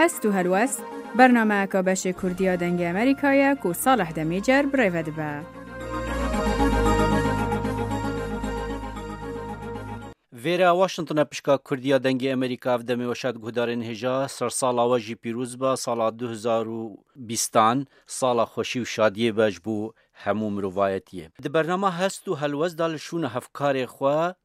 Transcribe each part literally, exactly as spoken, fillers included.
Hest û helwest, bernameyeka beşê Kurdiya Dengê Amerîka ye ku Salih Demîcer bi rê ve dibe. Vêre Washington e, pişka Kurdiya Dengê Amerîka, ev demê we şad guhdarên hêja, sersala we jî pîroz be, sala du hezar û bîstan, sala xweşî û şadiyê be ji bo hemû mirovayetiyê. Di bernama Hest û Helwest de li şûna hevkarê xwe,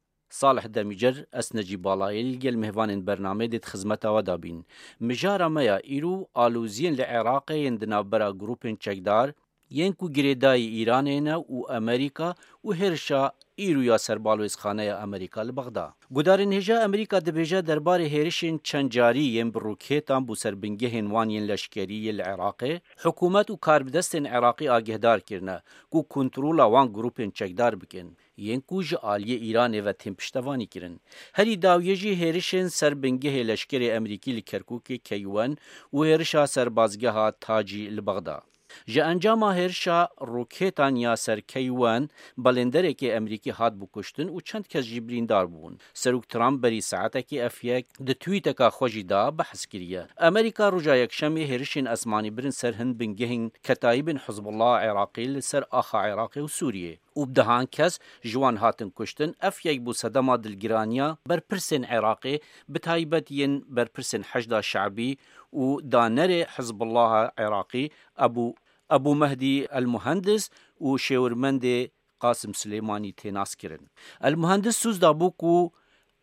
Salih Demîcer, ez Necîb Balayê li gel mêvanên bernameyê dê di xizmeta we de bîn. Mijara me ya îro aloziyên li Iraqê yên di navbera grûpên çekdar, yên ku girêdayî Îranê ne û Amerîka û hêrişa îro ya ser balwêzxaneya Amerîka li Bexda. Gudarên hêja Amerîka dibêje derbarê hêrişên çendcarî yên bi rokêtan bo ser bingehên wan yên leşkerî yê li Iraqê, hikûmet û karbidestên Iraqî agehdar kirine ku kontrola wan grûpên çekdar bikin, yên ku ji aliyê Îranê ve tên piştevanî kirin. Herî dawiyê jî hêrişên ser bingehê leşkerê Amerîkî li Kerkûkê K one û hêrişa serbazgeha Tacî li Bexda. Ji encama hêrişa rokêtan ya ser K one, belênderekê Amerîkî hat bikuştin û çend kes jî birîndar bûn. Serok Trump berî saetekê ev yek di twîteka xwe jî de behs kiriye. Amerîka roja Yekşemê hêrişên esmanî birin ser hin bingehên ketayîbên Hizbullah Iraqî li ser axa Iraqê û Sûriyê û bi dehan kes ji wan hatin kuştin. Ev yek bû sedema dilgiraniya berpirsên Iraqê, bi taybet yên berpirsên Heşda Şe'bî û danerê Hizbullaha Iraqî Ebû, Ebû Mehdî El Muhendis û şêwirmendê Qasim Silêmanî tê naskirin. El Muhendis soz dabû ku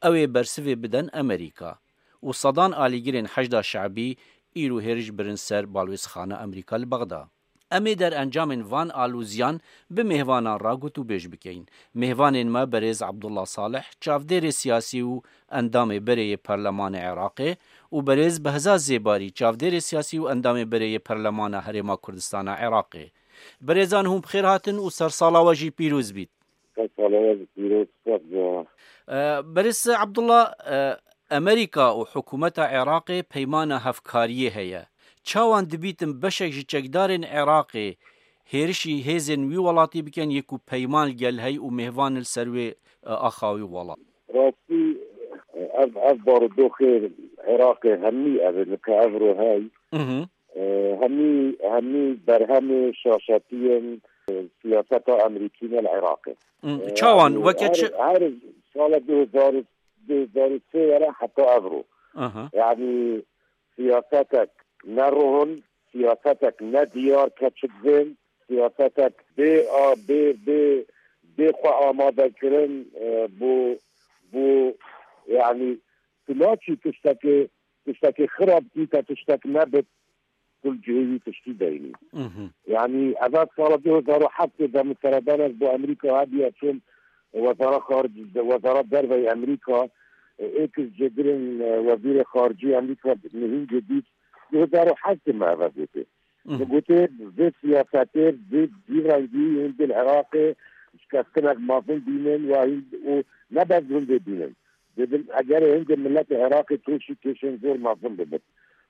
ew ê bersivê bidin Amerîka û sedan alîgirên Heşda Şe'bî îro hêriş birin ser balwêzxana Amerîka li Bexda. Em ê derencamên van aloziyan bi mêhvanan re gotûbêj bikeyin. Mêhvanên me berêz Abdullah Salih, çavdêrê siyasî û endamê berê yê Perlemanê Iraqê û berêz Behzat Zêbarî, çavdêrê siyasî û endamê berê yê Perlemana Herêma Kurdistana Iraqê. Berêzan hûn bi xêr hatin û sersala we jî pîroz bît. Sersala we jî pîroz, sax be. E, Berêz Abdullah, e, Amerîka û hikûmeta Iraqê peymana hevkariyê heye. Çawan dibîtin beşek ji çekdarên Iraqê hêrişî hêzên wî welatî bikin, yê ku peyman li gel hey û mêhvan li ser wê, e, axa wî welat? Rastî, ev, ev barodoxê Iraqê hemî ev e, li ka ev ro hey. Mhm. E, hemî, hemî berhemê şaşetiyên, e, siyaseta Amerîkî ne li Iraqê. Mhm. E, çawan? Yanî weke her, çi? Her sala du hezar, du hezar û sê were heta ev ro. Aha. Yanî siyasetek ne rohon, siyasetek ne diyar keçik vên, siyasetek bê a, bê, bê, bê xwe amade kirin, e, bo, bo, yanî tu naçî tiştekê, tiştekê xirab dîte, tiştek nebit, tu li cihê wî tiştî deynî. Mhm. Yanî eva sala du hezar û heftê de min seredanek bo Amerîka hediye çûm wezara xaric, wezara derveyê Amerîka, êk ji cêgirên, e, wezîrê xaricî Amerîka nihîngê dît, du hezar û heftê me eve gotê. Mhm. Min gotê, vê siyasetê, vê, vî rengî hindê li Iraqê şikestinek mezin bînin û hin-, û ne bes hindê bînin. Dibin, eger hindê miletê Iraqê kêşî kêşên zor mezin bibin.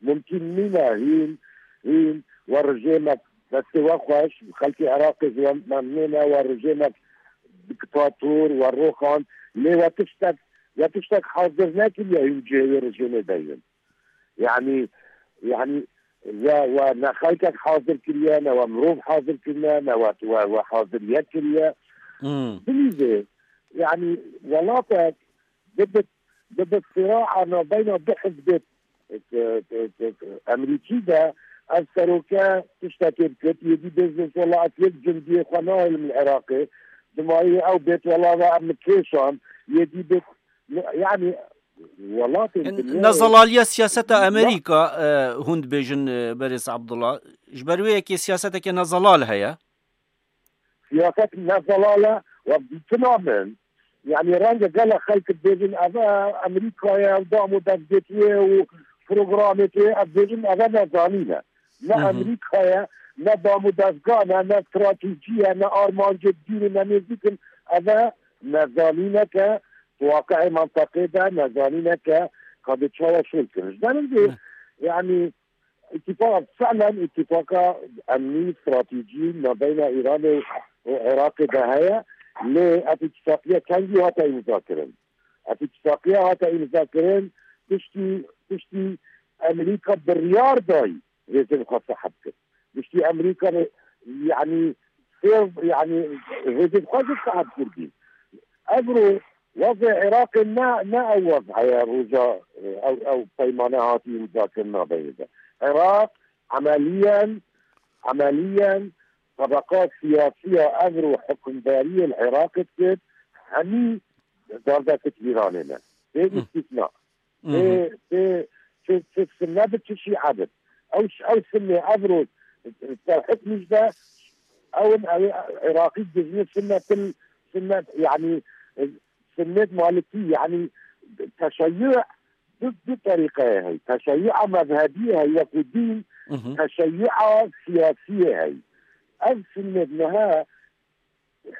Mumkîn nîne hîn, hîn we rejêmek destê we xweş, xelkê Iraqê ji we memnûn e, we rejêmek diktator, we roxand, lê we tiştek, we tiştek hazir nekiriye hîn cihê wê rejêmê deynin. Yanî, yanî we, we ne xelkek hazir kiriye, ne we mirov hazir kirine, ne we, we, we hazir yek kiriye. Hmm. Bilîzê, yanî welatek bibit, bibit sîraa navbeyna du hizbê, e, e, e, Emerîkî de, ev seroke tiştekê bikit, yê dî bêjin, wela ez yek cundiyê xwe nahêlim li Iraqê, dimayê ew bêt, wela ve em kêşan, yê dî bêt, yanî welatên dinyayê. Nezelaliya siyaseta Amerîka, e, hûn dibêjin, e, berêz Abdullah. Ji ber wê yekê siyaseteke nezelal heye. Siyaset nezelal e, we dîtina min. Yanî renge gelek xelk dibêjin, ev e Amerîka ye, ew dam û destgêtiyê û programê tê, ev dibêjin, ev e nezanîn e. Ne Hı hı. Amerîka ye, ne dam û dezgan e, ne stratejî ye, ne armancê dîr û ne nêzîk in. Ev e nezanînek e, di waqi'ê menteqê de nezanînek e, ka dê çawa şol kirin. Ji ber hindê, Ne. yanî, îtîfaka, fi'len îtîfaka emnî, stratejî, navbeyna Îranê û, û Iraqê de heye, lê ev îtîfaqiye kengî hate îmza kirin. Ev îtîfaqiye hate îmza kirin, piştî, piştî Amerîka biryar dayî hêzên xwe seheb kir. Giştî Amerîka re, yanî, sêv, yanî, hêzên xwe jî seheb kirdî. Evro wezê Iraqê ne, ne ew wez heye roja, ew, ew peymane hatî îmzakirina veyê de. Iraq emeliyen, emeliyen tebeqa siyasiya evro hukimdariyê li Iraqê dikir, hemî derdekit Îranê ne. Bê Hı. îstîsna. Hı hı. Tê, tê, çi, çi Sunne bi, çi Şîe bi. Ew, ew Sunne evro ser hukmî de, ew in, ew Iraqî dijmin Sunne til, Sunne, yanî, Sunnet Malikî, yanî, teşeyyû du, du terîqeyê heye. Teşeyyûa mezhebî heye, wekî dîn, Hı hı. teşeyyûa siyasî heye. Ev Sunnet niha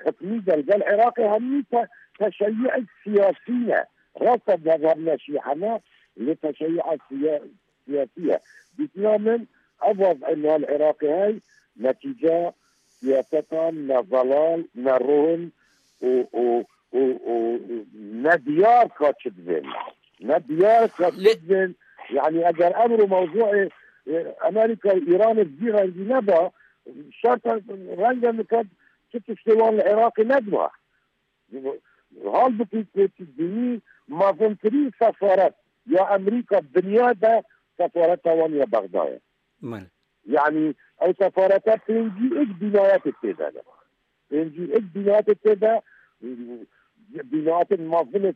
hikmî de li gel Iraqê hemî te-, teşeyyuek siyasî ne. Rast e, mezheb ne, şîe ne, lê teşeyyuek siya-, siyasî ye. Dîtina min, ev wez'ê niha li Iraqê hey, netîca siyasetan ne zelal, ne ron û, û, û, û ne diyar ka çi dibên. Ne diyar ka çi Lê- dibên. Yanî eger emro mewzûê, e, Amerîka û Îranê bi vî rengî neba, şerta renge niket çi tiştê wan li Iraqê nediba. Halbukî ku tu dînî mezintirîn sefaret ya Amerîka dinya de sefareta wan ya Bexda ye. Mal. Yanî ew sefareta pêncî êk bînayetê tê de ne. Pêncî êk bînayetê tê de, bînayetên mezin ê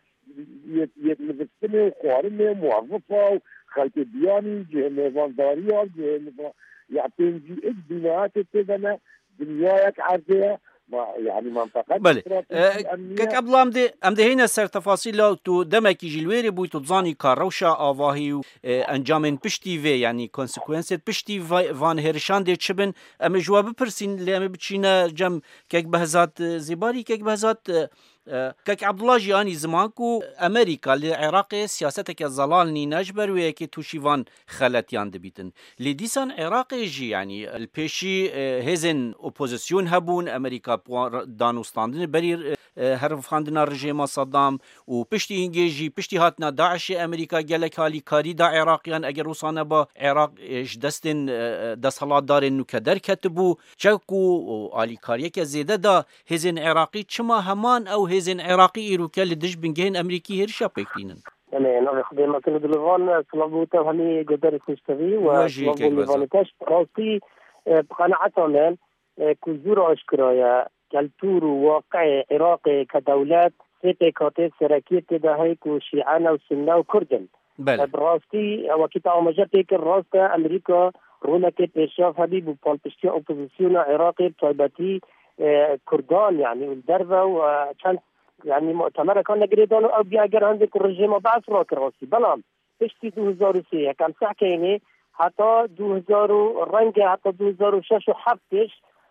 yê, yê nivîstinê û xwarinê û muwezifa û xelkê biyanî, cihê mêvandariya, cihê niva-, ya pêncî êk bînayetê tê de ne, dinyayek erdê ye. Ma, yanî menteqe Belê. stratejî E, emnî Kek ye. Abdullah, em dê, em dê heyne ser tefasîla, tu demekî jî li wêrê bûyî, tu dizanî ka rewşa avahî û, e, encamên piştî vê, yanî konsekwensêt piştî va-, van hêrişan dê çi bin? Em ê ji we bipirsîn, lê em ê biçîne cem Kek Behzat, e, Zêbarî. Kek Behzat, e, e, Kek Abdullah jî anî ziman ku Amerîka li Iraqê siyaseteke zelal nîne, ji ber wê yekê tûşî van xeletiyan dibîtin. Lê dîsan Iraqê jî, yanî li pêşî, e, hêzên opozîsyon hebûn, Amerîka bi wan re-, danûstandinê berî, e, e, herifandina rejêma Saddam û piştî hingê jî, piştî hatina DAIŞê, Amerîka gelek alîkarî da Iraqiyan, eger wisa neba Iraq, e, ji destên, e, e, desthilatdarên nûke derketibû. Çeku û alîkariyeke zêde da hêzên Iraqî, çima heman ew hêzên Iraqî îroke li dij bingehên Amerîkî hêrişa pêk tînin? Em ê navê Xwedê me kir dilovan, silav bo te û hemî guhdarê Xweştevî û We jî silav bo kek Bezan. Mêvanê te. Bi rastî, e, bi qenaeta me, e, ku zûr aşkira ye, keltûr û waqiê Iraqê ke dewlet sê pêkhatê serekiyê tê de heye ku Şîe ne û Sunne û Kurd in. Belê. E, bi rastî, e, wekî te amaje pê kir, rast e, Amerîka roleke pêşiyav hebî bo palpiştiya opozisyona Iraqê, bi taybetî, e, Kurdan, yanî û li derve û, e, çend, yanî mutemerekan negirêdan û ew bîya ger hindê ku rejêma Be'es rakir rastî. Belam piştî du hezar û sê, yekem sehkeyînê heta du hezar û renge heta du hezar û şeş û heft pêş,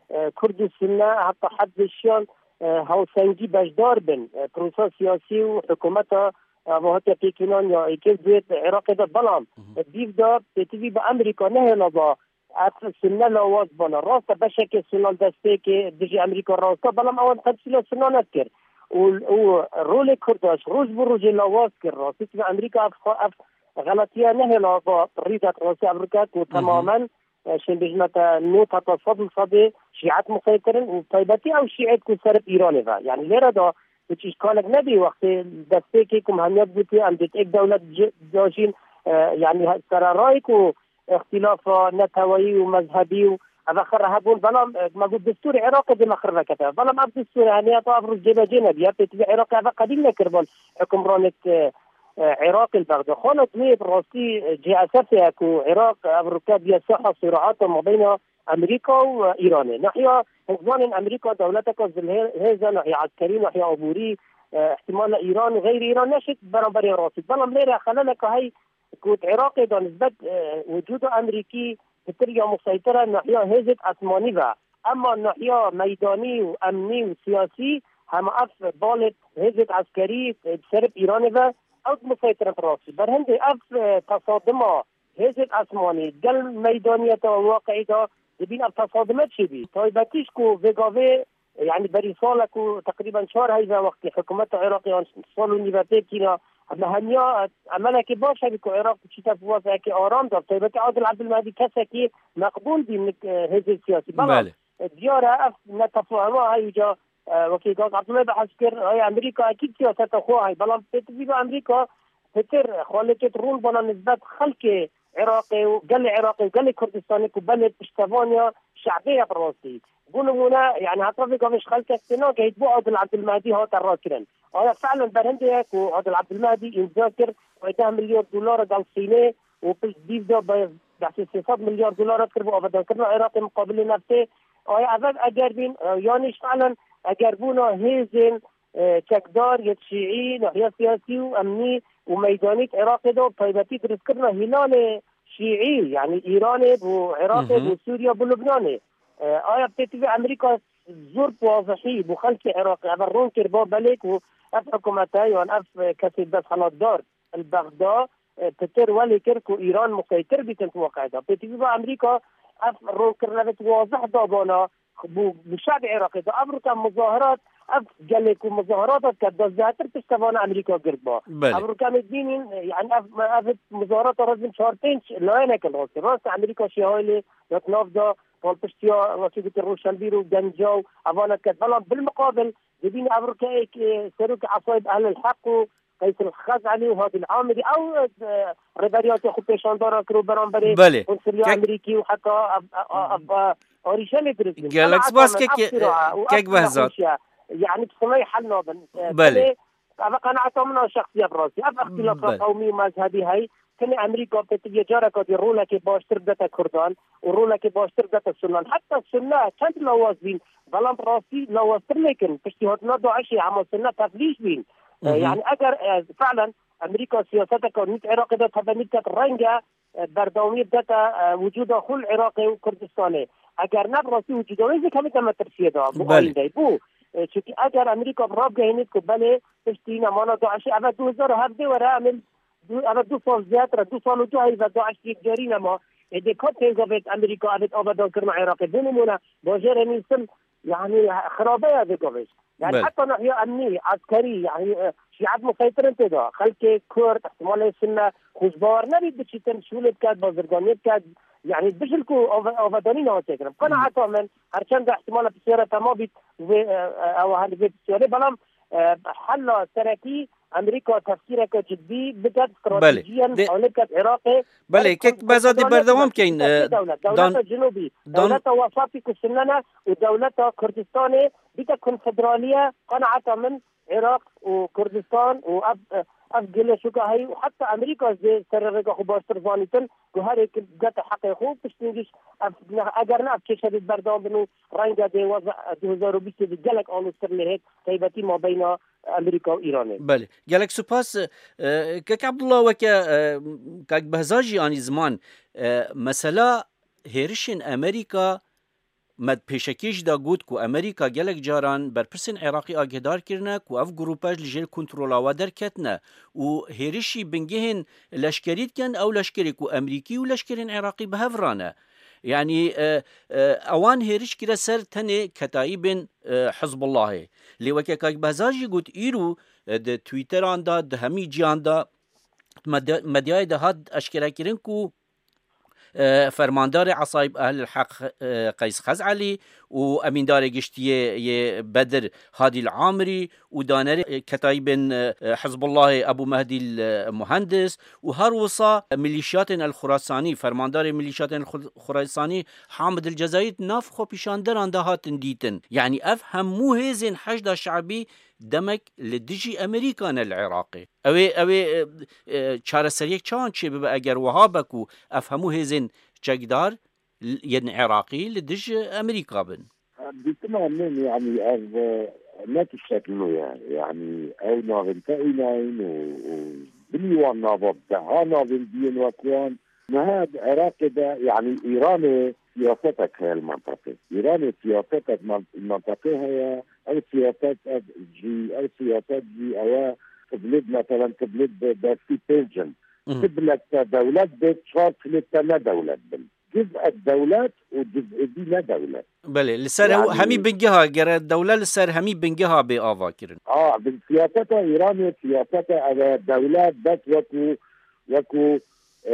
e, Kurd û Sunne heta heft vêşiyan, e, hawsengî beşdar bin, e, prosa siyasî û hikûmeta, e, ava hatiye pêkînan ya êkê duyê Iraqê de. Belam, Hı hı. e, dîv de pêtivî bi Amerîka nehêla ba, ev Sunne lawaz bana. Rast e, beşekê Sunne li destpêkê dijî Amerîka rast e, belam ewan temsîla Sunne nekir. Û, û rolê Kurda ji roj bo rojê lawaz kir. Rastî, Amerîka ev xwe, ev xeletiya nehêla ba rî de, rastî ev rike ku Hı hı. temamen, e, şên bêjime te nod heta sed li sedê şîet museytir in û taybetî ew şîet ku ser bi Îranê ve. Yanî lêre de hiç îşkalek nebî wextê destpêkê ku me hemiya dibûtî em dê êk dewlet ci-, cajîn, e, yanî he-, sererayê ku îxtîlafa neteweyî û mezhebî û eve xirre hebûn, belam, e, me got destûrê Iraqê dê me xirve kete. Belam ev destûrê hemiya ta ev roj cêbecê nebiye, pêtivî Iraqê eve qebîl nekir bal hukimranêt, e, e, Iraqê li Bexda. Xala duyê bi rastî, e, cihê esasê ye ku Iraq ev rike biye saha sirahata mabeyna Amerîka û, e, Îranê. Nahiya hizmanên Amerîka dewleteka zilhê-, hêz e, nahiya eskerî, nahiya aborî, e, ihtimale Îran û xeyrî Îran neşêt beramberê rastî. Belam lêre xeleleke hey ku di Iraqê de nisbet, e, wicûda Amerîkî pitir ya museytir e nahiya hêzêt esmanî ve. Ema nahiya meydanî û emnî û siyasî hema ev balêt hêzêt eskerî, e, di ser bi Îranê ve ew di museytir in bi rastî. Berhindê ev, e, tesadima hêzêt esmanî gel meydaniyeta waqiî de dibîn ev tesadime çêbî. Taybetî ji ku vê gavê, yanî berî salek û teqrîben çar heyve wextê hikûmeta Iraqê an sal û nîve tê kîna Em hemiya emelekê baş hebî ku Iraq biçîte bi waziyekê aram de. Taybetî Adil Ebdulmehdi kesekî meqbûl bî nik, e, hêzên siyasî. Belam, Belê. e, diyar e ev netefahuma hey uca, e, wekî Gaz Abdullah behs kir, ay Amerîka ekîd siyaseta xwe hay. Belam pêtivî bi Amerîka pitir xalekêt rûn bana nisbet xelkê Iraqê û gelê Iraqê û gelê Kurdistanê ku belê piştevaniya şe'bê ye bi rastî. Bo nimûne, yani heta vê gavê ji xelkek tê nagehît bo Adil Ebdulmehdi hate rakirin. Aya felen berhindê ye ku Adil Ebdulmehdi îmza kir, wê deh milyar dolar gel Sînê û pişt dîv de be-, behsê sê sed milyar dolar kir bo avedankirina Iraqê muqabilê neftê. Aya ev eger bîn, e, yanî ji felen eger bûna hêzên, e, çekdar yê şîî, nahiya siyasî û emnî û meydanî di Iraqê de, taybetî dirustkirina hîlalê şîî, yani Îranê bo Iraqê, Hı hı. bo Sûriye, bo Lubnanê. E, aya pêtivî Amerîka zor bi wazihî bo xelkê Iraqê ev rûn kir, ba belê ku ev hikûmete yan ev kesê desthilatdar li Bexda, e, pitir welê kir ku Îran muqeytir bîtin di weqayê de. Pêtivî ba Amerîka ev rûnkirine vê wazih dabana bo, bo şevê Iraqê de. Ev rûke muzahirat, ev gelê ku muzahirat dike, da zêdetir piştevana Amerîka gird ba. Belê. Ev rûke em dibînin, e, yani ev, ev muzahirat rêzin çar pênc layenek in rastî. Rast Amerîka şêhayê lê, wek nav da, palpiştiya, wekî gotin, Rûşenbîr û Genca û evana diket. Belam bilmiqabil, dibîne ev rûke êk, e, serokê Esayib Ehlil Heq û Qeys el Xez'elî û Hadî el Amirî, ew, e, rêberiyatê xwe pêşandana kir û beramberê Belê. konsuliya Kek- Amerîkî û heta ev, ev, ev, ev, arîşe lê dirist bûn. Gelek Ama spas, heta min kek, ev qîra e, û kek ev Behzat. nexweşiye, yani bi sinayî hel nabin. E, Belê. tenê Ev qenaeta min a şexsî ye bi rastî. Ev îxtîlafa Belê. qewmî û mezhebî hey, tenê Amerîka pêtivî careka dî rolekê baştir bidete Kurdan û rolekê baştir bidete Sunnan. Heta Sunne çend lawaz bîn, belam bi rastî lawaztir lêkin. Piştî hatina DAIŞê hema Sunne teflîş bîn. E, Hı hı. yani eger, e, felen Amerîka siyaseteke nît Iraqê de tebenî biket, reng e, e, berdewamiyê bidete, e, wicûda xwe li Iraqê û Kurdistanê. Eger ne bi rastî wicûda wê zêkevîte metirsiyê de, bo Belê. ayîndeyê. Bo, e, çunkî eger Amerîka bi rabgehînît ku belê piştî nemana DAIŞê, eve du hezar û hevdeh were, em ê du, eve du sal zêdetir e, du sal û du heyv e DAIŞ yekcarî nema. Êdî ka pêngavêt Amerîka evêt avedankirina Iraqê. Bo nimûne, bajêrê Mîsil, yani xirabe ye vê gavê. Yani Belê. heta nahiya emnî, eskerî, yani, e, şîet museytir in tê de. Xelkê Kurd, ihtimalê Sunne, xwe ji bawer nebît biçîtin, şûlê biket, bazirganiyê biket, yani bijil ku ave-, avedanî nehat çêkirin. Qenaeta min, her çend ihtimala pisyara tema bît, vê, e, e, ew her vê pisyarê, belam, e, hela serekî Amerîka tefkîreke cidî biket, Belê. stratejiyen De- xalê biket Iraqê, Belê, ber kek Behzatî konfederaliyê berdewam biket. Biket bikeyn, sê e, dewlet, dan- dewleta Cinubî, dan- dewleta Wesatî ku Sunne ne û dewleta Kurdistanê bike konfederaliye, qenaeta min Iraq û Kurdistan û ev, ev gelê şûka heyî û heta Amerîka jî ser rêka xwe baştir zanîtin ku her yek bigete heqê xwe û piştî jî ev, eger ne ev kêşerî berdewam bin û renge dê weza du hezar û bîst de gelek aloztir lê hêt, taybetî mabeyna Amerîka û Îranê. Belê. Gelek spas, e, Kek Abdullah, weke, e, Kek Behzat jî anî ziman, e, mesela hêrişên Amerîka, me di pêşekê jî de got ku Amerîka gelek caran berpirsên Iraqî agîhdar kirine ku ev grûpe li jêr kontrola we derketine û hêrişî bingehên leşkerî dikin, ew leşkerê ku Amerîkî û leşkerên Iraqî bi hev re ne. Yanî, e, e, ewan hêriş kire ser tenê ketayîbên, e, Hizbullahê. Lê weke Kak Behzat jî got, îro, e, di Twitteran de, di hemî ciyan de, medya-, medyayê de hat eşkerekirin ku, e, fermandarê Esayib Ehlil Heq, e, Qeys Xez'elî û emîndarê giştiyê yê Bedir Hadî Amirî û danerê, e, ketayîbên, e, Hizbullahê Ebû Mehdî, e, Muhendis û her wisa milîşyatên El Xurasanî, fermandarê milîşyatên El Xur-, Xurasanî Hamid El Cezayî di nav xwepîşanderan de hatin dîtin. Yanî ev hemû hêzên Heşda Şe'bî demek li dijî Amerîka ne li Iraqê. Ew ê, ew ê, e, e, çareseriyek çawan çêbibe eger wiha be ku ev hemû hêzên çekdar l-, yên Iraqî li dij Amerîka bin? Dîtina min, yanî ev, e, ne tiştek nû ye. Yanî ew navên te înayîn û, û bilî wan nava bi deha navên diyên wek wan. Niha di Iraqê de, yanî Îranê siyasetek heye li menteqê. Îranê siyasetek men-, menteqê heye. Ev siyaset, ev jî, ev siyaset jî ew e, kiblêt, meselen, kiblêt bi destî pênc in. Mhm. Kiblek te dewlet bê, çar kilêt te ne dewlet bin. ciz'ek dewlet û ciz'ê dî ne dewlet. Belê, li ser hew-, Yani hemî bingeha, gere dewlet li ser hemî bingeha bê ava kirin. A, bin siyaseta Îranê, siyaseta ev e, dewlet bes wekû, wekû, e,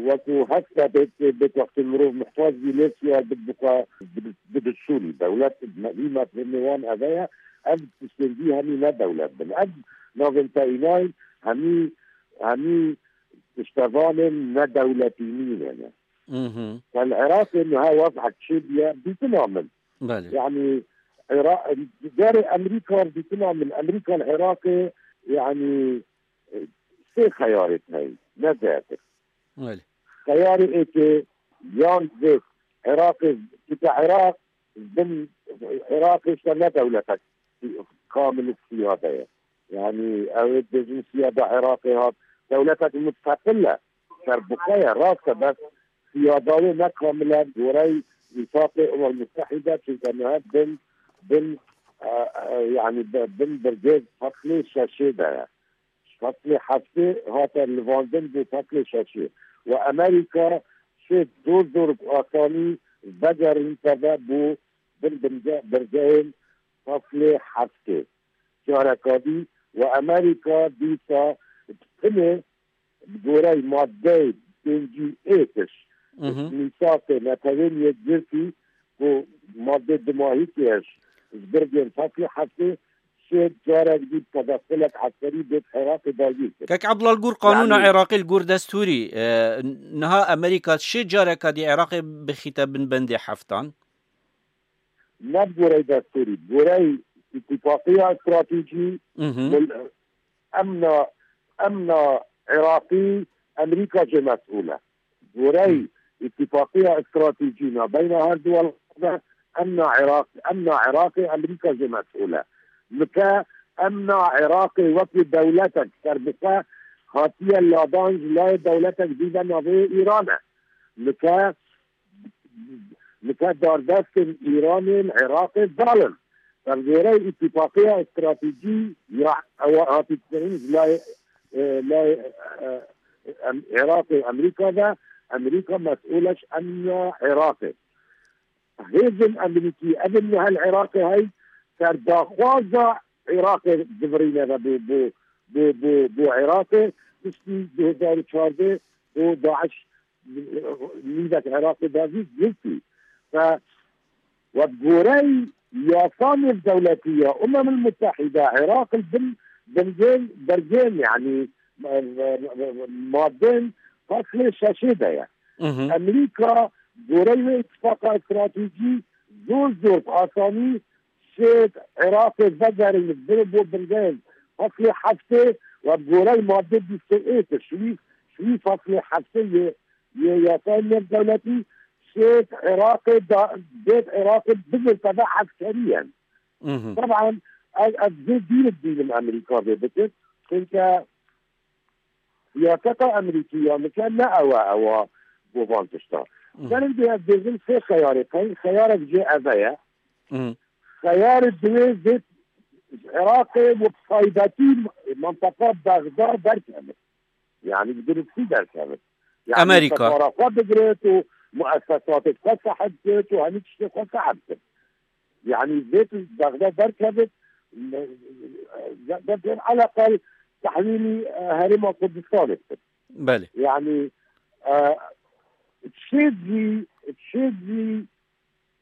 wekû hesta bê, bê wextê mirov muhtac bî lê siya bi, bi xwe, bi, bi destûrî. Dewlet me-, vî mefhûmê wan ev e, ev tiştên dî hemî ne dewlet bin. Ev navên te înayîn hemî, hemî tiştevanên nedewletî nîne ne. Mhm. Li Iraqê niha wez'ek çêbûye, dîtina min. Belê. Yani, Ira-, Gerê Amerîka dîtina min, Amerîka li Iraqê, yani, sê xeyarê heye, ne zêdetir. Belê. Xeyarê êkê yan vê Iraqê, çunke Iraq bin, Iraqê işte ne dewletek kamil siyade ye. Yani, ew ê dibêjin siyada Iraqê hat, dewletek musteqil e. Serbixwe ye, rast e, bes siyada wê ne kamil e, gorey Mîsaqê Umem Mutehîde, çunke niha bin, bin, e, e, yani, bi-, bin birgê feslê şeşê de ye. Feslê heftê hate livandin bû feslê şeşê. Û Amerîka şê zor zor bi asanî vegerîn teve bû bin, bin birgehên feslê heftê. Careka dî û Amerîka dîsa bi tinê bi gorey madeyê pêncî êtiş, Mhm. Mîsaqê Netewên Yekgirtî ku madde dimahîkê ji birgên feslê heftê şê carek dî tedexulek eskerî bêt Iraqê dagîr kir. Kek Abdullah, li gor qanûna Yani Iraqê, li gor destûrî, e, niha Amerîka şê careka dî Iraqê bixîte bin bendê heftan? Ne bi gorey destûrî, bi gorey îtîfaqiya stratejî, Mhm. mil-, emna, emna Iraqî, Amerîka jê mesûl e. Gorey Hı. îtîfaqiya stratejî nabeyna her du welat de, emna Iraq, emna Iraqê, Amerîka jê mesûl e. Nike emna Iraqê wekî dewletek serbixwe hatiye ladan ji layê dewletek dî de navê Îran e. Nike Nike dardestên Îranê li Iraqê zalim. Bi gorey îtîfaqiya stratejî ya ew hatî kirin ji layê, e, layê, e, em, Iraqê û Amerîka de, Amerîka mesûl e ji emna Iraqê. Hêzên Amerîkî, ev niha li Iraqê hey, serdaxwaza Iraqê divirîne ve bo, bo, bo, bo, bo Iraqê, piştî du hezar û çardeh û DAIŞ nîvek Iraqê dazî girtî. Ve, ve bi gorey yasa nêvdewletî ya Umemil Mutehîde, Iraq li bin bingên, bergên, yanî, e, e, e, madên faslê şeşê de ye. Mhm. Amerîka, gorey wê îtifaqa stratejî, zor zor bi asanî şêt Iraqê vegerîn, bire bo bingên faslê heftê ve bi gorey madde bîst û êk, şivî, şivî faslê heftê yê, yê yasayê nêvdewletî, şêt Iraqê da, bêt Iraqê bigirte ve eskerî yen. Mhm. Teban, ez, ez zê dîr dibînim Amerîka vê bikir. Çunke siyaseta Amerîkî ya nike ne ew e, ew e bo van tişta. Mhm. Serê dê ez bêjim sê xeyarê heye. Xeyarek jê ev e ye. Mhm. Xeyarê diwê vê Iraqê û bi taybetî mintaka Bexda derkevin. Yani bi dirustî derkevin. Yani Amerîka sefara xwe bigirit û muessesatê xwe sehib kit û hemî tiştê xwe sehib kit. Yani vê tu Bexda derkevit, derkevit eleqel tehwîlî, e, Herêma Kurdistanê bikit. Belê. Yani, e, çê zî, çê zî,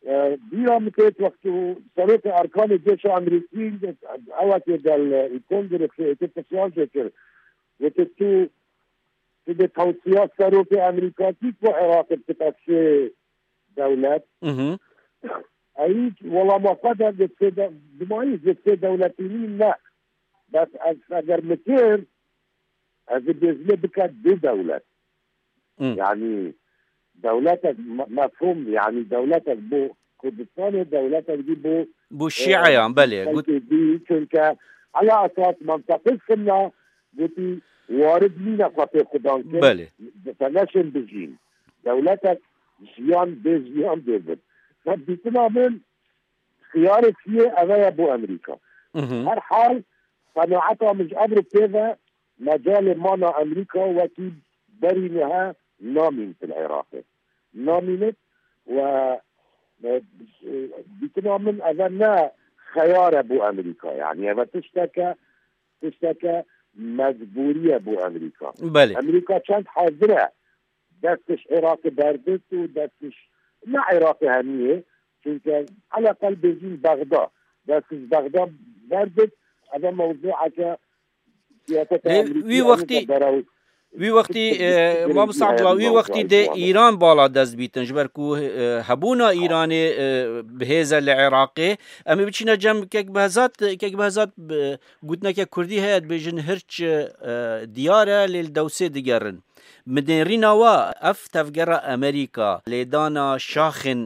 e, bîra min têt wextû serokê Erkanê Cêşa Amerîkî, ewekê gel, e, kongrê, e, pirsyar jê kir. Gote tu, tu dê tewsiya serokê Amerîkakî ku Iraqê bikite sê dewlet. Mhm. Ey welama xwe de, di sê de, dimayî di sê dewletî nî ne. Bes ez eger min kir, ez ê bêjimê bike du dewlet. Hı. Yani dewletek me-, mefhûm, yani dewletek bo Kurdistanê, dewletek dî bo, bo e, Şiayan, belê. Got- xelkê dî, çunke ala esas mintaqê Sinna gotî warid nîne xwe pê xudan kir. Belê. Te neşên bijîn. Dewletek jiyan bê jiyan bê bin. Te dîtina min xiyarê siyê eve ye bo Amerîka. Mhm. Her hal, qenaeta min ji ev re pê ve, mecalê mana Amerîka wekî berî niha namîn li Iraqê. namînit û, e, dîtina min eve ne xeyar e bo Amerîka. Yanî eve tişteke, tişteke mecbûrî ye bo Amerîka. Belê. Amerîka çend hazir e destê ji Iraqê berdit û destê ji, ne Iraqê hemiyê, çunke eleqel bêjîn Bexda, destê ji Bexda berdit, eve mewzûeke siyaseta Lê Amerîkî wî wextî, wî wextî, e, mamosta Abdullah, wî wextî dê Îran bala dest bîtin, ji ber ku, e, hebûna Îranê, e, bi hêz e li Iraqê. Em ê biçîne cem Kek Behzat, Kek Behzat, e, gotineke kurdî heye, dibêjin hirç, e, diyar e, lê li dewsê digerin. Bi nêrîna we, ev tevgera Amerîka, lêdana şaxên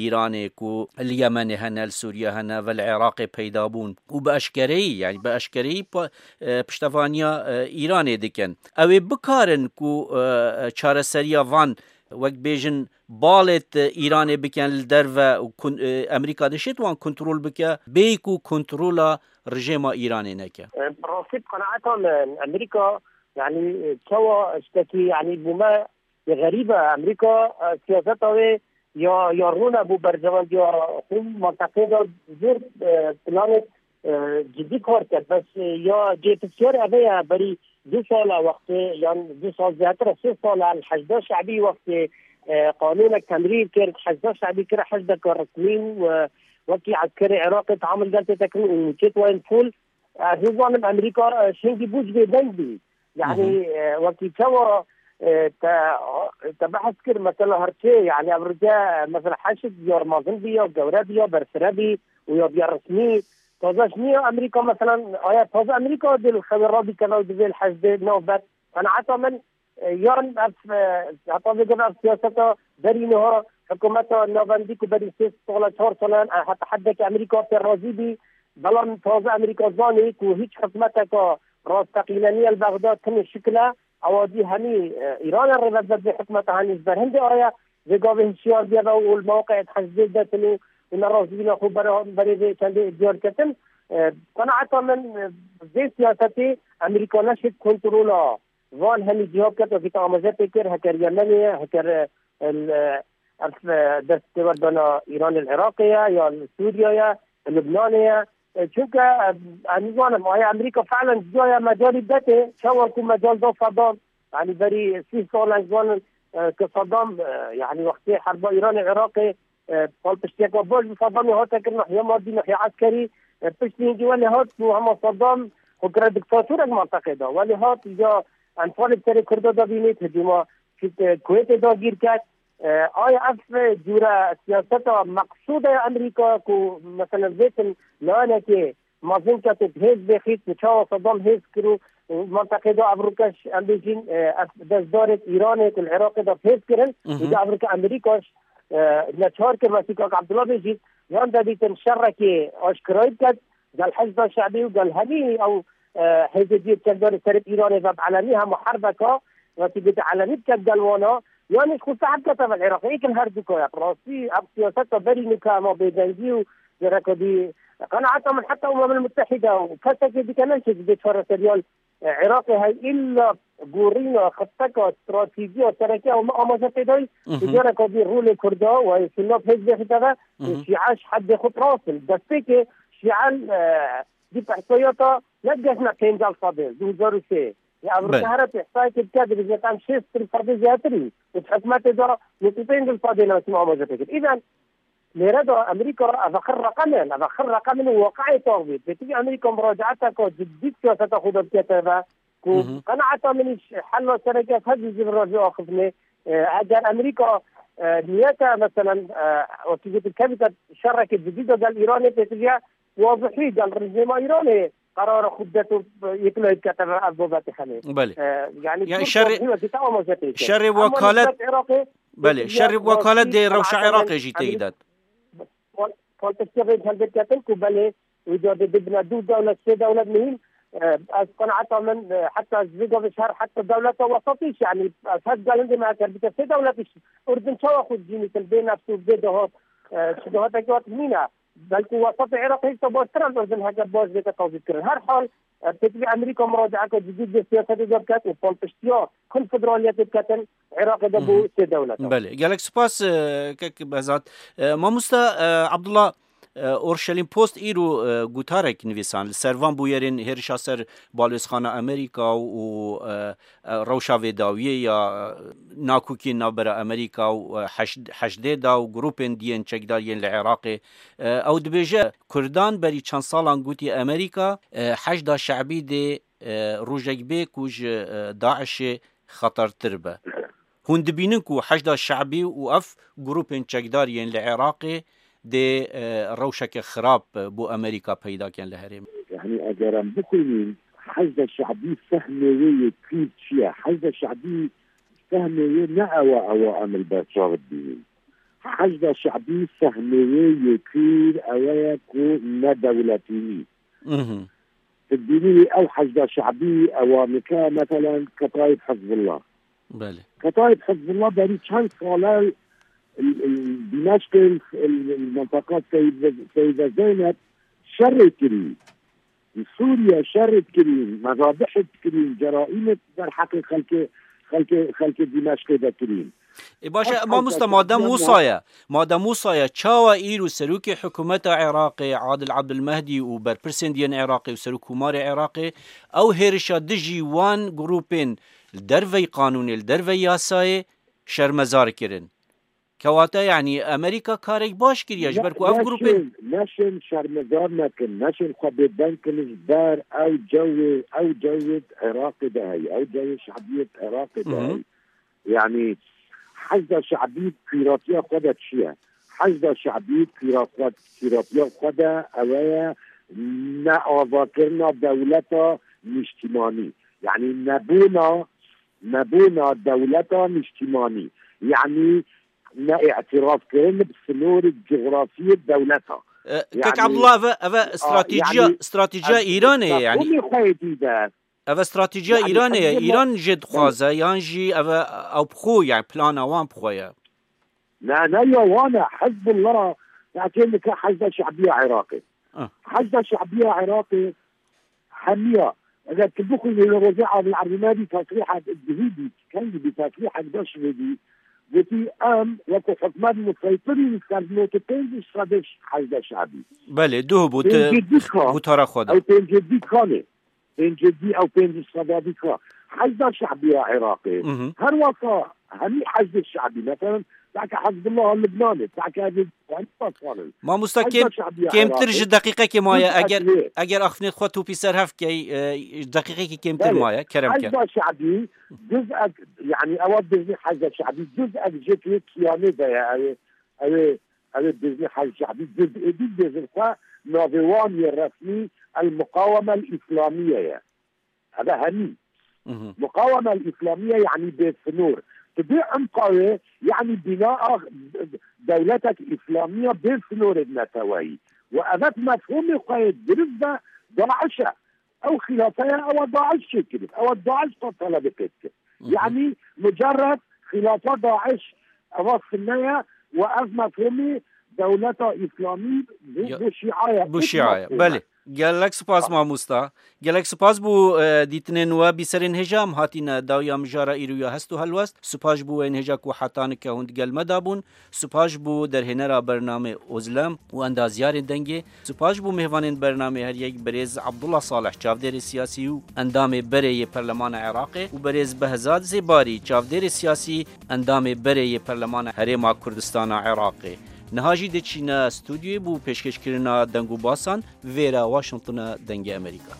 Îranê ku li Yemenê hene, li Sûriye hene ve li Iraqê peyda bûn û bi eşkereyî, yanî bi eşkereyî pa-, e, piştevaniya, e, Îranê dikin. Ew ê bikarin ku, e, çareseriya van, wek bêjin, balêt Îranê bikin li derve û kun-, e, Amerîka dişêt wan kontrol bike, bêyî ku kontrola rejêma Îranê neke. E, bi rastî bi qenaeta min, Amerîka, yanî, e, çawa ştekî, yanî, bû me yê xerîb e. Amerîka, e, siyaseta wê ya, ya rûne bû berjewendiya xwe menteqê de zor, e, planê, e, cidî kar kir. Bes, e, ya cê pisyar eve ye, berî du sala wextê, yan du sal zêdetir e, sê sal e, li Heşda Şebî wextê, e, qanûnek temrîr kir, Heşda Şebî kir heşdeke resmî û, e, wekî eskerê Iraqê teamul gel tê tekirin û nûçet wayên pûl. Ez nizanim Amerîka, e, şingî bû ji vê deng bî. Yanî, e, wekî çawa, e, te, te behs kir, mesela, hirçê, yanî, ev rike, e, mesela, heşt ya mezin bî, ya gewre bî, ya berfire bî û ya biya resmî. Taze ji niya Amerîka, mesela, aya taze Amerîka dê li xewê radikeve û divê li heşdê navbet. Qenaeta min, e, yan ev, e, heta vê gava ev siyaseta berî niha hikûmeta navendî ku berî sê sala, çar salan, e, heta heddekî Amerîka pê razî bî, belam taze Amerîka zanî ku hîç hikûmeteka rasteqîne niye li Bexdad, tenê şikil e, ewa dî hemî, e, Îran e rêvebir vê hikûmeta, hemî ji ber hindê aye, vê gavê hişyar bûye ve û li mewqeê heşdê de tune û nerazîbûna xwe bera-, berê vê çendê diyar ketin. E, qenaeta min, e, vê siyasetê Amerîka neşêt kontrola van hemî cîha biket, wekî te amaje pê kir, heker Yemenê ye, heker, e, el, e, ev, e, dest têwerdana Îranê li Iraqê ye, ya li Sûriye ye, li Lubnanê ye. E, çunke, e, ez nizanim, aya Amerîka fe'len cîya ye, mecalî betê, çawa ku mecal da Saddam, yanî berî sî sal ez zanim, e, ke Saddam, e, yanî wextê herba Îranê Iraqê, e, palpiştiyeke baş bi Saddamê hate kirin, nahiya madî, nahiya eskerî, e, piştî hingî welê hat û hema Saddam xwe kire diktatorek menteqê de. Welê hat ya Enfalê serê Kurda de bînît, hicûma Kuwêtê dagîr ket. E, aya ev cûre siyaseta meqsûde ya Amerîka ku, mesela, vêtin layanekê mezin ket û bi hêz bêxît û çawa Saddam hêz kir û, û menteqê de ev rûke ji, em bêjin, e, ev destdarê Îranê ku li Iraqê de bi hêz kirin, Mhm. û de ev rûke Amerîka ji, e, neçar kir, wekî kak Abdullah bêjît, yan de dîtin şerekê aşkirayî biket, gel Heşda Şebî û gel hemî ew, e, hêzê dî çekdarê serê Îranê ve bi elenî hema herbeka, wekî gote elenî biket gel wana, yan jî xwe sehf kete ve li Iraqê. Êkin her du kaya. Bi rastî ev siyaseta berî nika hema bêdengî û gereka dî qenaeta min heta Umemil Mutehîde û kesekê dike neşê ji vê çareseriya li, e, Iraqê hey îlla gorîna xetteka stratejî ya sereke ew me amaje pê dayî. Mhm. Û gereka dî rolê Kurda û hey Sunna bi hêz bêxîte ve, Mhm. Şîa ji heddê xwe bi rast in. Destpêkê Şîa, e, dî ihsayata ne gehiştine pêncî sedê, du hezar û sê. Ya ev Belê. Rûke here tê ihsayekê dike, dibêje em şêst sedê zêdetir in. Û di hikûmetê de nîvî pênc sedê ne wekî me amaje pê kir. Îden lêre de Amerîka, ev xir reqem in, ev xir reqem in û waqi'ê tax bê. Pêtivî Amerîka muracaeteke cidî bi siyaseta xwe de dike teve ku Hı hı. qenaeta min îş hela sereke ev hevî ji vir re jê axiftinê. E, eger Amerîka, e, niyete, meselen, e, wekî gotin, kevîte şerekê cidî de gel Îranê pêtiviya wazihî gel rejîma Îranê qerara xwe bidet û yeklayî bikete ve ev babetê hene. Belê. E, yani Ya, şerê, şerê wekalet, belê, şerê wekalet dê rewşa Iraqê jî têkî dat. Pol-, poltîkê vê helbet ketin ku belê, wî carê dibine du dewlet, sê dewlet muhîm. E, ez qenaeta min, e, heta ji vê gavê ji her heta dewleta wesatî, yani, ez her gelindê me eger bike sê dewlet iş, Urdun çawa xwe cînî kin, bê nefs û bê dahat, e, şu dahatekî hat nîne. Belku wesatê Iraq hêşta baştir e, ez heke baş bête tazîkirin. Her hal, e, pêtivî Amerîka muracaeke cidî di siyasetê de biket û palpiştiya konfederaliyetê biketin, Iraqê de bo sê dewleta. Belê, gelek spas, e, kek Behzat. E, mamosta, e, Abdullah, e, Orşelîm Post îro, e, gotarek nivîsan li ser van bûyerên hêrişa ser balwêzxana Amerîka û, e, e, rewşa vê dawiyê ya, e, nakokiyên navbera Amerîka û, e, Heşd-, Heşdê da û grûpên diyên çekdar yên li Iraqê. E, ew dibêje, Kurdan berî çend salan gotî Amerîka, e, Heşda Şebî dê, e, rojek bê ku ji, e, DAIŞê xetertir be. Hûn dibînin ku Heşda Şebî û ev grûpên çekdar yên li Iraqê dê, e, rewşeke xirab, e, bo Amerîka peyda ken li herêmê. Yanî eger em bixwînin, Heşda Şebî fehmê wê yê pîr çi ye? Heşda Şebî fehmê wê ne ew e, ew e em li ber çav dibînin. Heşda Şebî fehmê wê yê pîr ew e ku ne dewletî nî. Mhm. Tu dibînî ew Heşda Şebî ew a nike, meselen, Ketaîb Hizbullah. Belê. Ketaîb Hizbullah berî çend sale li, li, li Dîmeşqê, li, li, li mintaka Seyde, Seyde Zeynep şerê kirî. Li Sûriye şerê kirî, mezabihê kirî, ceraîmê derheqê xelkê, xelkê, xelkê Dîmeşqê de kirî. E, baş e, Ev mamosta, Heşda madem Şebî wisa ye, madem wisa ye, çawa îro serokê hikûmeta Iraqê, Adil Abdulmehdî û berpirsên diyên Iraqê û serokkomarê Iraqê, ew hêrişa dijî wan grûpên li derveyî qanûnê, li derveyî yasayê şermezar kirin? Kewata, yanî, Amerîka karek baş kiriye, ji ber ku ev grûpên neşên, neşên şermezar nekin, neşên xwe bêdeng kin ji ber ew cewê, ew cewê Iraqê de heye, ew cewê şebiyê Iraqê de Mhm. heye. Yanî, Heşda Şebî pîratiya xwe de çi ye? Heşda Şebî pîra xwe, pîratiya xwe de ew ye neavakirina dewleta nîştîmanî. Yanî, nebûna, nebûna dewleta nîştîmanî. Yanî, ne îtirafkirin bi sinorê cografiyê dewleta. E, Kek Yanî, Abdullah, ev, ev a, stratejiya, yanî, stratejiya ez Îranê ye, yanî. Mefhûmê xwe yê dîde. Ev stratejiya Yanî, Îranê ye. Hizbullah Îran jê dixwaze, yan jî ev, ew bi xwe, yani plana wan bi xwe ye. Ne, ne ya wan e. Hizbullah, ya kê dike Heşda Şebiya Iraqê. Ah. Heşda Şebiya Iraqê hemiya. Eger tu bixwînî li rojê Adil Abdulmehdi tesrîhek dihî bî, kengî bî tesrîhek da şivêdî. Gotî em wekî hikûmet museytirî li ser nod û pênc sedî Heşda Şebî. Belê, duh bû, tu Pêncî dî kan. Gotara xwe da. Ew pêncî dî kanê. Pêncî dî ew pêncî sedî ka. Heşda Şebiya Iraqê. Mhm. Her wasa hemî Heşdê Şebî. Mesela, belke Hizbullah Libnanê, belke ev ê Mamosta, Heşda kêm-, Şebiya kêmtir Iraqê. Ji deqîqekê maye. Eger, eger axiftinê xwe topî ser hev key, e, ji deqîqekê kêmtir Belê. Maye. Kerem ke. Heşda Şebî, cuz'ek, yanî ewa dizî Heşda Şebî, cuz'ek ji tu kiyanê de ye. Ew ê, ew ê, ew ê dizî Heşda Şebî, cuz êdî dizin xwe navê wan yê resmî El Muqaweme El Îslamiye ye. Ev e hemî. Mhm. Muqaweme El Îslamiye, yanî bê sinor. Tu bê emqa wê, yanî bîna a dewletek Îslamiya bê sinorê neteweyî. Û ev e mefhûmê xwe yê dirist de DAIŞ e. Ew xîlafeya ew e DAIŞ çêkirî. Ew e DAIŞ xwe telebê pê dikir. Mhm. Yanî mucerred xîlafa DAIŞ ev e sunne ye û ev mefhûmî dewleta Îslamî bu, Ya, bu şîa ye. Bu Ev şîa ye. mefhûm e. Belê. Gelek spas mamosta. Gelek spas bo, e, dîtinên we. Bîserên hêja em hatîne dawiya mijara îro ya hest û helwest. Spas bo wê hêja ku heta nika hûn digel me de bûn. Spas bo derhênera bernamê Ozlem û endaziyarên dengê. Spas bo mêvanên bernamê her yek, berêz Abdullah Salih, çavdêrê siyasî û endamê berê yê Perlemana Iraqê û berêz Behzad Zêbarî, çavdêrê siyasî, endamê berê yê Perlemana Herêma Kurdistana Iraqê. Niha jî diçîne stûdyoyê bo pêşkêşkirina deng û basan, vêra Washingtona Dengê Amerîka.